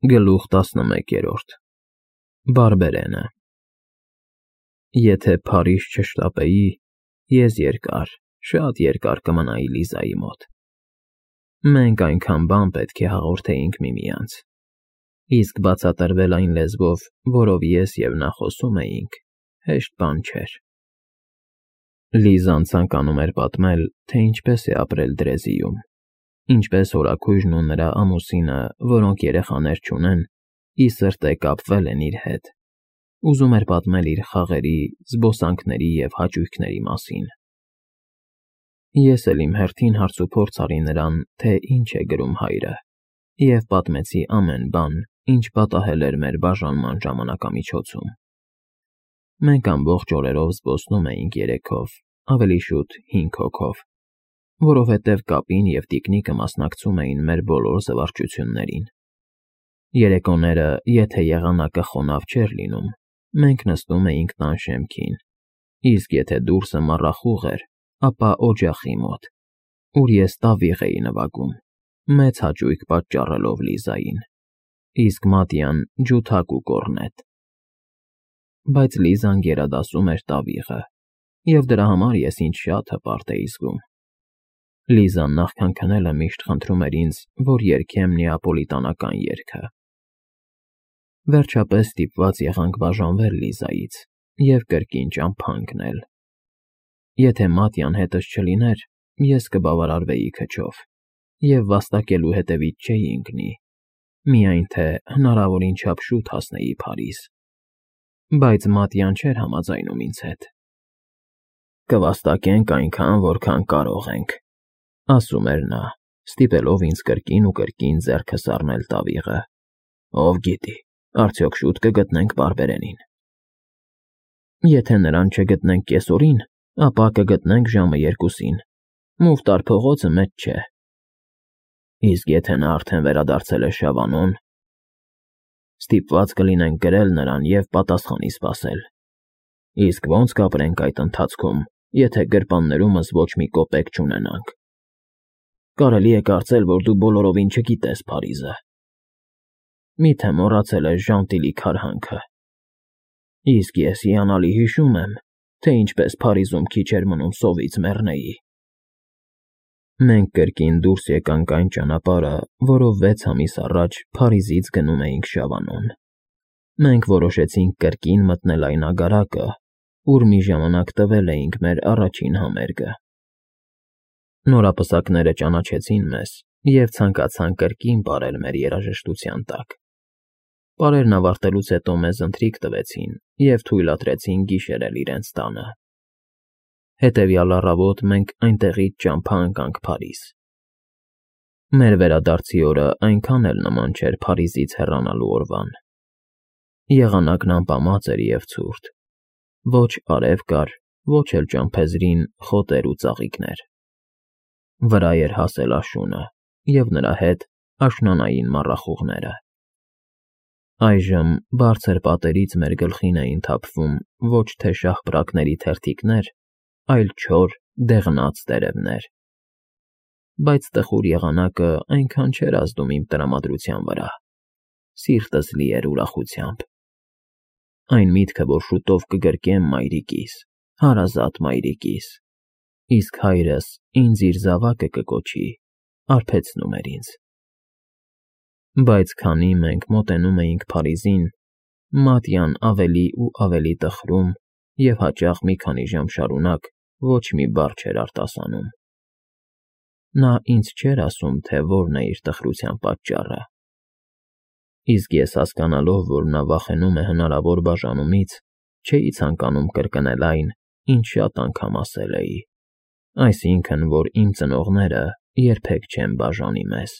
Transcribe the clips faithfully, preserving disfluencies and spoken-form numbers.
Գլուխ տասնմեկերորդ Բարբերենը Եթե Փարիզ չշտապեի, ես երկար, շատ երկար կմնայի Լիզայի մոտ։ Մենք այնքան բան պետք է հաղորդեինք միմյանց, իսկ բացատրվել այն լեզվով, որով ես և նա խոսում էինք, հեշտ բան չէր։ Լիզան ցանկանում էր պատմել, թե ինչպես է ապրել Դրեզիում, ինչպես հորաքույրն ու նրա ամուսինը, որոնք երեխաներ չունեն, ի սրտե կապվել են իր հետ, ուզում էր պատմել իր խաղերի, զբոսանքների և հաճույքների մասին։ Ես էլ իմ հերթին հարցուփորձ արի նրան, թե ինչ է գրում հայրը, և պատմեցի ամեն բան, ինչ պատահել էր մեր բաժանման ժամանակամիջոցում։ Մենք ամբողջ օրերով զբոսնում էինք երեքով, ավելի շուտ հինգ հոգով, որովհետև կապին և տիկնիկը մասնակցում էին մեր բոլոր զվարճություններին։ Երեկոները, եթե եղանակը խոնավ չէր լինում, մենք նստում էինք տան շեմքին, իսկ եթե դուրսը մառախուղ էր, ապա օջախի մոտ, ուր ես տավիղ էի նվագում, մեծ հաճույք պատճառելով Լիզային, իսկ Մատյան ջութակ ու կոռնետ։ Բայց Լիզան գերադասում էր տավիղը, և դրա համար ես ինձ շատ հպարտ էի զգում։ Լիզան նախքան քնելը միշտ խնդրում էր ինձ, որ երգեմ նեապոլիտանական երգը։ Վերջապես ստիպված եղանք բաժանվել Լիզայից և կրկին ճամփա ընկնել։ Եթե Մատյան հետս չլիներ, ես կբավարարվեի քչով և վաստակելու հետևից չէի ընկնի, միայն թե հնարավորին չափ շուտ հասնեի Փարիզ։ Բայց Մատյան չէր համաձայնում ինձ հետ։ «Կվաստակենք այնքան, որքան կարող ենք», ասում էր նա, ստիպելով ինձ կրկին ու կրկին ձեռքը սառնել տավիղը։ «Ով գիտի, արդյոք շուտ կգտնենք Բարբերենին»։ «Եթե նրան չգտնենք կեսօրին, ապա կգտնենք ժամը երկուսին, Մուֆտար փողոցը մեծ չէ»։ «Իսկ եթե նա արդեն վերադարձել է Շավանոն»։ «Ստիպված կլինենք գրել նրան և պատասխանի սպասել։ Իսկ ո՞նց կապրենք այդ ընթացքում, եթե գրպաններումս ոչ մի կոպեկ չունենանք։ Կարելի է կարծել, որ դու բոլորովին չգիտես Փարիզը։ Մի՞թե մոռացել ես Ժանտիլի քարհանքը։ Իսկ ես հիանալի հիշում եմ, թե ինչպես Փարիզում քիչ էր մնում սովից մեռնեի»։ Մենք կրկին դուրս եկանք այն ճանապարհը, որով վեց ամիս առաջ Փարիզից գնում էինք Շավանոն։ Մենք որոշեցինք կրկին մտնել այն ագարակը, ուր մի ժամանակ տվել էինք մեր առաջին համերգը։ Նորապսակները ճանաչեցին մեզ և ցանկացան կրկին պարել մեր երաժշտության տակ։ Պարերն ավարտելուց հետո մեզ ընթրիք տվեցին և թույլատրեցին գիշերել իրենց տանը։ Հետևյալ առավոտ մենք այնտեղից ճամփա ընկանք Փարիզ։ Մեր վերադարձի օրը այնքան էլ նման չէր Փարիզից հեռանալու օրվան։ Եղանակն ամպամած էր և ցուրտ, ոչ արև կար, ոչ էլ ճամփեզրին խոտեր ու ծաղիկներ։ Վրա էր հասել աշունը, և նրա հետ աշնանային մառախուղները։ Այժմ բարձր պատերից մեր գլխին էին թափվում ոչ թե շաղպրակների թերթիկներ, այլ չոր, դեղնած տերևներ։ Բայց տխուր եղանակը այնքան չէր ազդում իմ տրամադրության վրա, սիրտս լի էր ուրախությամբ։ Այն միտքը, որ շուտով կգրկեմ մայրիկիս, հարազատ մայրիկիս, իսկ հայրս ինձ իր զավակը կկոչի, արբեցնում էր ինձ։ Բայց քանի մենք մոտենում էինք Փարիզին, Մատյան ավելի ու ավելի տխրում և հաճախ մի քանի ժամ շարունակ ոչ մի բառ չէր արտասանում։ Նա ինձ չէր ասում, թե որն է իր տխրության պատճառը։ Իսկ ես հասկանալով, որ նա վախենում է հնարավոր բաժանումից, չէի ցանկանում կրկնել այն, ինչ շատ անգամ ասել էի, այսինքն, որ իմ ծնողները երբեք չեն բաժանի մեզ։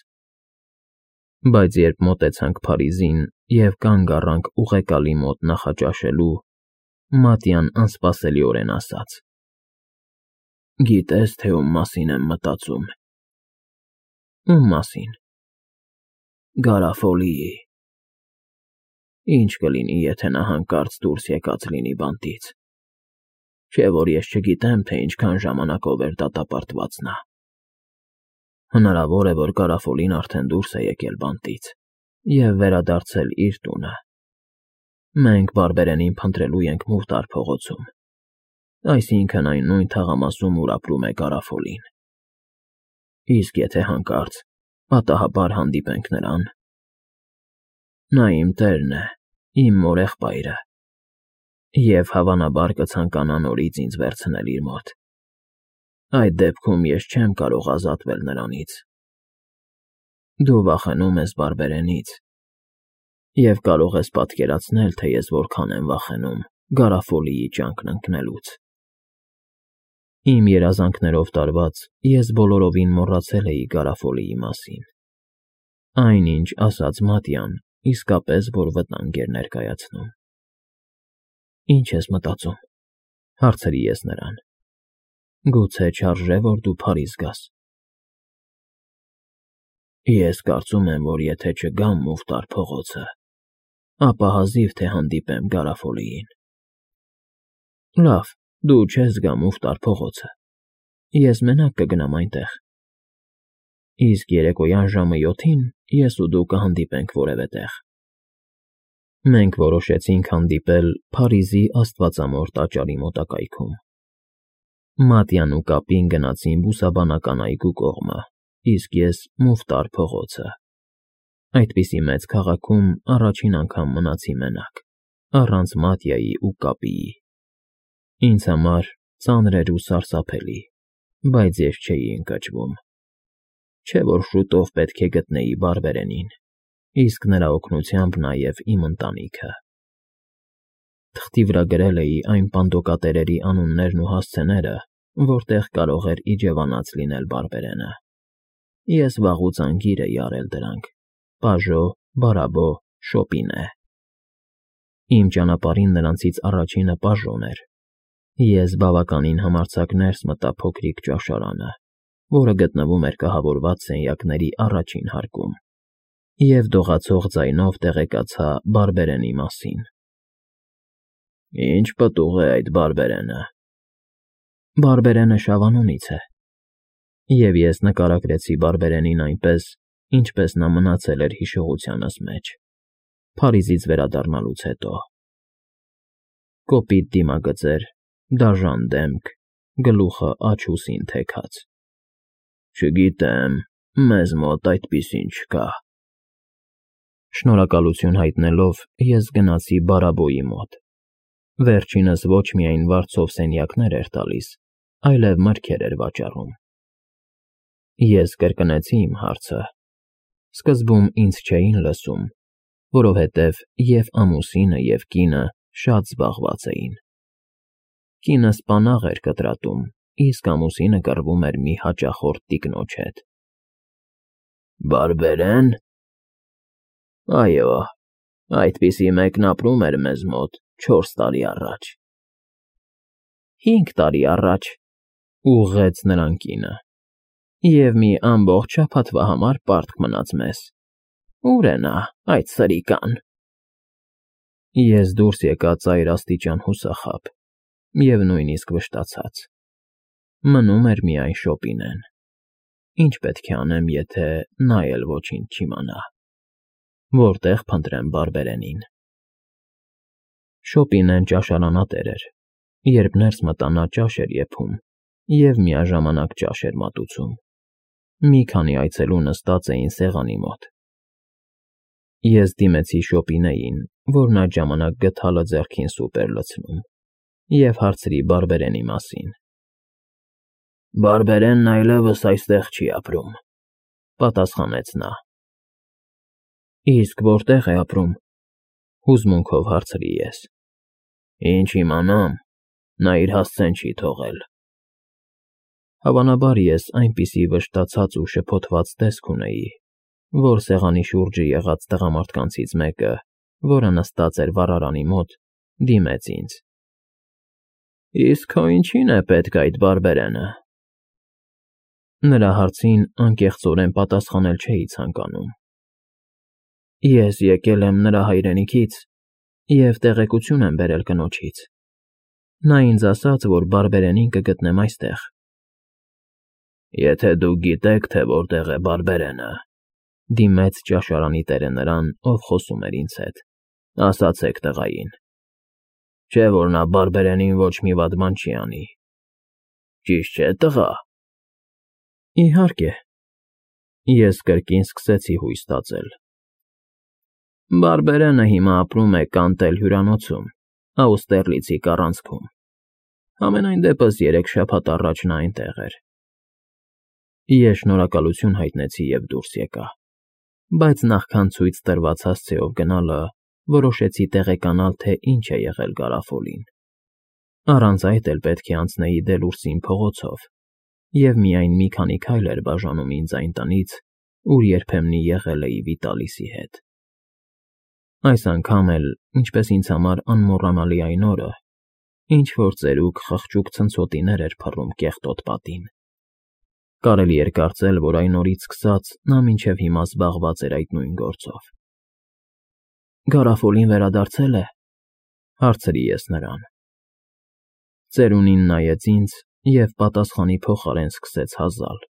Բայց երբ մոտեցանք Փարիզին և կանգ առանք ուղեկալի մոտ նախաճաշելու, Մատյան անսպասելիորեն ասաց. «Գիտե՞ս, թե ում մասին եմ մտածում»։ «Ում մասին»։ «Գարաֆոլիի։ Ինչ կլինի, եթե նա հանկարծ դուրս եկած լինի բանտից։ Չէ՞ որ ես չգիտեմ, թե ինչքան ժամանակով էր դատապարտված նա։ Հնարավոր է, որ Գարաֆոլին արդեն դուրս է եկել բանտից։ և վերադարձել իր տունը։ Մենք Բարբերենին փնտրելու ենք Մուխտար փողոցում, այսինքն այն նույն թաղամասում, ուր ապրում է Գարաֆոլին։ Իսկ եթե հանկարծ պատահաբար հանդիպենք նրան… Նա իմ տերն է, իմ մորեղբայրը, և հավանաբար կցանկանա նորից ինձ վերցնել իր մոտ։ Այդ դեպքում ես չեմ կարող ազատվել նրանից։ Դու վախենում ես Բարբերենից և կարող ես պատկերացնել, թե ես որքան եմ վախենում Գարաֆոլիի ճանկն ընկնելուց։ Իմ երազանքներով տարված ես բոլորովին մոռացել էի Գարաֆոլիի մասին։ Այն, ինչ ասաց Մատյան, իսկապես որ վտանգ էր ներկայացնում։ Ի՞նչ ես մտածում, հարցրի ես նրան։ Գուցե չարժե, որ դու Փարիզ գաս։ Ես կարծում եմ, որ եթե չգամ Մուխտար փողոցը, ապա հազիվ թե հանդիպեմ Գարաֆոլիին։ Լավ, դու չես գա Մուխտար փողոցը, ես մենակ կգնամ այնտեղ։ Իսկ երեկոյան ժամը յոթին ես ու դու կհանդիպենք որևէ տեղ։ Մենք որոշեցինք հանդիպել Փարիզի Աստվածամոր տաճարի մոտակայքում։ Մատյան ու կապին գնացին Բուսաբանական այգու կողմը, իսկ ես Մուխտար փողոցը։ Այդպիսի մեծ քաղաքում առաջին անգամ մնացի մենակ, առանց Մատյայի ու կապիի։ Ինձ համար ծանր էր ու սարսափելի, բայց ես չէի ընկճվում։ Չէ՞ որ շուտով պետք է գտնեի Բարբերենին, իսկ նրա օգնությամբ նաև իմ ընտանիքը։ Թղթի վրա գրել էի այն պանդոկատերերի անուններն ու հասցեները, որտեղ կարող էր իջևանած լինել Բարբերենը։ Ես վաղուց անգիր էի արել դրանք. Պաժո, Բարաբո, Շոպինե։ Իմ ճանապարհին նրանցից առաջինը Պաժոն էր։ Ես բավականին համարձակ ներս մտա փոքրիկ ճաշարանը, որը գտնվում էր կահավորված սենյակների առաջին հարկում, և դողացող ձայնով տեղեկացա Բարբերենի մասին։ Ինչ պտուղ է այդ Բարբերենը։ Բարբերենը Շավանունից է։ Եվ ես նկարագրեցի Բարբերենին այնպես, ինչպես նա մնացել էր հիշողությանս մեջ, Փարիզից վերադառնալուց հետո։ Կոպիտ դիմագծեր, դաժան դեմք, գլուխը աջ֊ուսին թեքած։ Չգիտեմ, մեզ մոտ այդպիսին չկա։ Շնորհակալություն հայտնելով, ես գնացի Բարաբոյի մոտ։ Վերջինս ոչ միայն վարձով սենյակներ էր տալիս, այլև մրգեր էր վաճառում։ Ես կրկնեցի իմ հարցը։ Սկզբում ինձ չէին լսում, որովհետև և ամուսինը, և կինը շատ զբաղված էին։ Կինը սպանաղ էր կտրատում, իսկ ամուսինը կռվում էր մի հաճախորդ տիկնոջ հետ։ Բարբերեն։ Այո, այդպիսի մեկն ապրում էր մեզ մոտ չորս տարի առաջ։ Հինգ տարի առաջ, ուղղեց նրան կինը, և մի ամբողջ շաբաթվա համար պարտք մնաց մեզ։ Ո՞ւր է նա, այդ սրիկան։ Ես դուրս եկա ծայրաստիճան հուսախաբ և նույնիսկ վշտացած։ Մնում էր միայն Շոպինեն։ Ինչ պետք է անեմ, եթե նա էլ ոչինչ չիմանա։ Որտե՞ղ փնտրեմ Բարբերենին։ Շոպինեն ճաշարանատեր էր։ Երբ ներս մտա, նա ճաշ էր եփում և միաժամանակ ճաշ էր մատուցում։ Մի քանի այցելու նստած էին սեղանի մոտ։ Ես դիմեցի Շոպինեին, որն այդ ժամանակ գդալը ձեռքին սուպ էր լցնում, և հարցրի Բարբերենի մասին։ Բարբերենն այլևս այստեղ չի ապրում, պատասխանեց նա։ Իսկ որտե՞ղ է ապրում, հուզմունքով հարցրի ես։ Ինչ իմանամ, նա իր հասցեն չի թողել։ Հավանաբար ես այնպիսի վշտացած ու շփոթված տեսք ունեի, որ սեղանի շուրջը եղած տղամարդկանցից մեկը, որը նստած էր վառարանի մոտ, դիմեց ինձ։ Իսկ քո ինչի՞ն է պետք այդ Բարբերենը։ Նրա հարցին անկեղծորեն պատասխանել չէի ցանկանում։ Ես եկել եմ նրա հայրենիքից և տեղեկություն եմ բերել կնոջից։ Նա ինձ ասաց, որ Բարբերենին կգտնեմ այստեղ։ Եթե դուք գիտեք, թե որտեղ է Բարբերենը, Դիմեց ճաշարանի տերը նրան, ով խոսում էր ինձ հետ։ Ասացեք տղային։ Չէ՞ որ նա բարբերենին ոչ մի վատ բան չի անի։ Ճիշտ չէ՞ տղա։ Իհարկե։ Ես կրկին սկսեցի հույս տածել։ Բարբերենը հիմա ապրում է Կանտել հյուրանոցում, Աուստերլիցի կառանցքում։ Համենայն դեպս երեք շաբաթ առաջ նա այնտեղ էր։ Ես շնորհակալություն հայտնեցի և դուրս եկա, բայց նախքան ցույց տրված հասցեով գնալը, որոշեցի տեղեկանալ, թե ինչ է եղել Գարաֆոլին։ Առանց այդ էլ պետք է անցնեի Դելուրսին փողոցով, և միայն մի քանի քայլ էր բաժանում ինձ այն տնից, ուր երբեմնի եղել էի Վիտալիսի հետ։ Այս անգամ էլ, ինչպես ինձ համար անմոռանալի այն օրը, ինչ֊որ ծերուկ խղճուկ ցնցոտիներ էր փռում կեղտոտ պատին։ Կարելի էր կարծել, որ այն օրից սկսած նա մինչև հիմա զբաղված էր այդ նույն գործով։ Գարաֆոլին վերադարձե՞լ է,֊ հարցրի ես նրան։ Ծերունին նայեց ինձ և պատասխանի փոխարեն սկսեց հազալ։